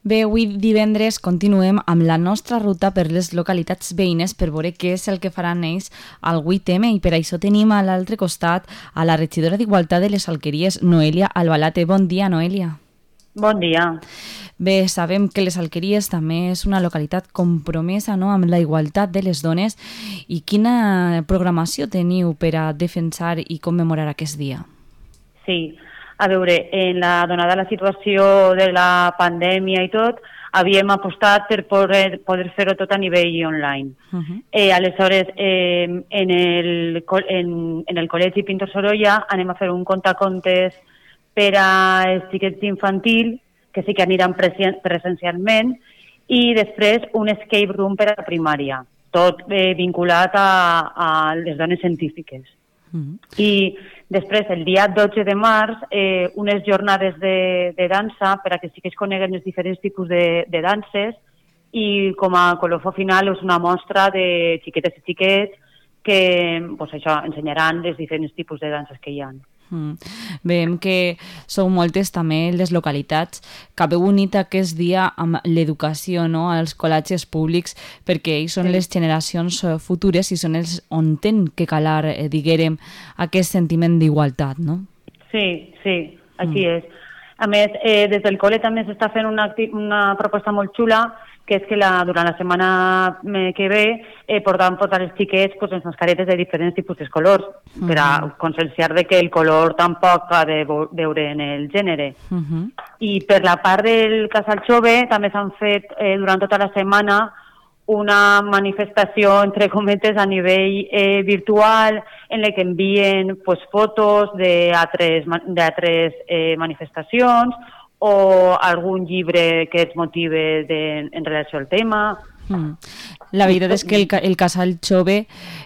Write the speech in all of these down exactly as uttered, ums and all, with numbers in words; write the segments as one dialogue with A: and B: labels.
A: Bé, avui divendres continuem amb la nostra ruta per les localitats veïnes per veure què és el que faran ells al vuit eme i per això tenim a l'altre costat a la regidora d'Igualtat de les Alqueries, Noelia Albalate. Bon dia, Noelia.
B: Bon dia.
A: Bé, sabem que les Alqueries també és una localitat compromesa, no?, amb la igualtat de les dones. I quina programació teniu per a defensar i commemorar aquest dia?
B: Sí, a veure, en la donada la situació de la pandèmia i tot, havíem apostat per poder, poder fer-ho tot a nivell online. Uh-huh. eh, aleshores, eh, en, el, en, en el Col·legi Pintor Sorolla anem a fer un contacontes per a els xiquets d'infantil, que sí que aniran presencialment, i després un escape room per a la primària, tot eh, vinculat a, a les dones científiques. Uh-huh. I després, el dia dotze de març, eh, unes jornades de, de dansa per a que sí que es coneguen els diferents tipus de, de danses i com a colofó final és una mostra de xiquetes i xiquets que pues, això, ensenyaran els diferents tipus de danses que hi ha.
A: Mm. Veiem que sou moltes també les localitats que haveu unit aquest dia amb l'educació, no?, als col·legis públics, perquè ells són sí. les generacions futures i són els on tenen que calar, eh, diguérem, aquest sentiment d'igualtat, no?
B: Sí, sí, així mm. és. A més, eh, des del col·le també s'està fent una, una proposta molt xula, que és que la, durant la setmana que ve eh, portaran portar els xiquets pues, les mascaretes de diferents tipus de colors, uh-huh. per a conscienciar de que el color tampoc ha de veure en el gènere. Uh-huh. I per la part del Casal Jove també s'han fet eh, durant tota la setmana una manifestació, entre cometes, a nivell eh, virtual, en la que envien pues, fotos d'altres eh, manifestacions, o algun llibre que es motive de, en relació al tema.
A: Mm. La veritat és que el, el Casal Jove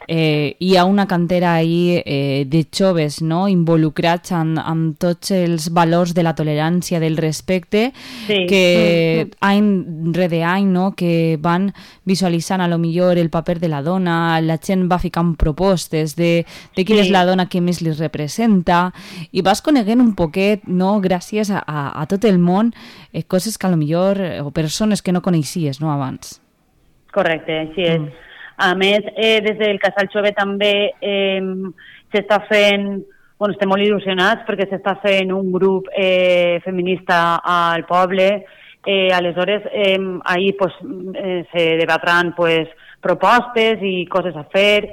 A: eh, hi ha una cantera ahí eh, de joves, no?, involucrats amb, amb tots els valors de la tolerància, del respecte, sí. que mm. any rere any, no?, que van visualitzant a lo millor el paper de la dona, la gent va ficant propostes de, de quina sí. és la dona que més li representa, i vas coneguent un poquet, no?, gràcies a, a, a tot el món, eh, coses que a lo millor, o persones que no coneixies, no?, abans.
B: Correcte, així és. Mm. A més, eh, des del Casal Jove també eh, s'està fent, bueno, estem molt il·lusionats perquè s'està fent un grup eh, feminista al poble. Eh, aleshores, eh, ahir pues, eh, se debatran pues, propostes i coses a fer,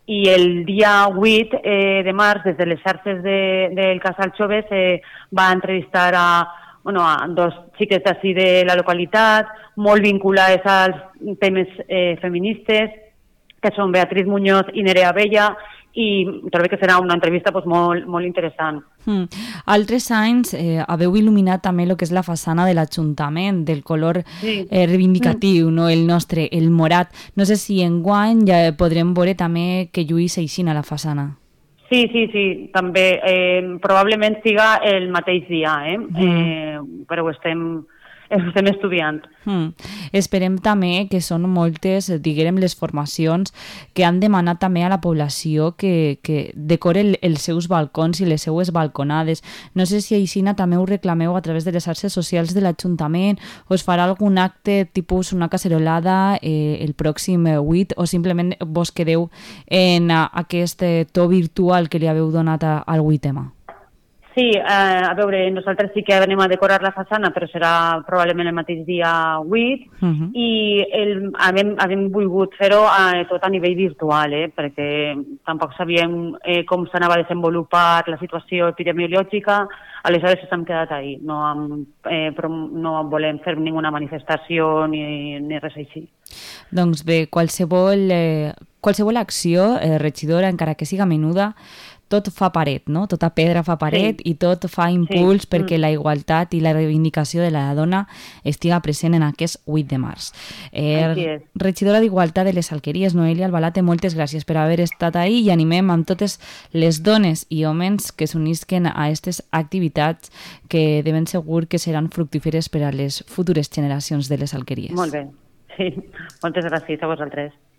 B: i el dia vuit eh, de març, des de les xarxes de, del Casal Jove, se va entrevistar a bueno, a dos xiques d'ací de la localitat, molt vinculades als temes eh, feministes, que són Beatriz Muñoz i Nerea Bella, i trobo que serà una entrevista pues, molt, molt interessant.
A: Mm. Altres anys eh, haveu il·luminat també el que és la façana de l'Ajuntament, del color sí. eh, reivindicatiu, mm. no? El nostre, el morat. No sé si enguany ja podrem veure també que lluís així a la façana.
B: Sí, sí, sí, també. Eh, probablement siga el mateix dia, eh? Mm. eh però ho estem, ho estem estudiant.
A: Mm. Esperem també que són moltes, diguem, les formacions que han demanat també a la població que, que decore el, els seus balcons i les seues balconades. No sé si aixina també ho reclameu a través de les xarxes socials de l'Ajuntament, o es farà algun acte tipus una cacerolada eh, el pròxim vuit, o simplement vos quedeu en a, aquest eh, to virtual que li haveu donat a, al vuit eme.
B: Sí, eh, a veure, nosaltres sí que anem a decorar la façana, però serà probablement el mateix dia vuit, uh-huh. i el, havem, havem volgut fer-ho eh, tot a nivell virtual, eh, perquè tampoc sabíem eh, com s'anava a desenvolupar la situació epidemiològica, aleshores s'han quedat ahí, no, amb, eh, però no volem fer ninguna manifestació ni, ni res així.
A: Doncs bé, qualsevol, eh, qualsevol acció, eh, regidora, encara que siga menuda, tot fa paret, no? Tota pedra fa paret sí. i tot fa impuls sí. perquè mm. la igualtat i la reivindicació de la dona estiga present en aquest vuit de març. Eh, regidora d'Igualtat de les Alqueries, Noelia Albalate, moltes gràcies per haver estat ahí i animem amb totes les dones i homes que s'unisquen a aquestes activitats que de ben segur que seran fructíferes per a les futures generacions de les Alqueries.
B: Molt bé. Sí. Moltes gràcies a vosaltres.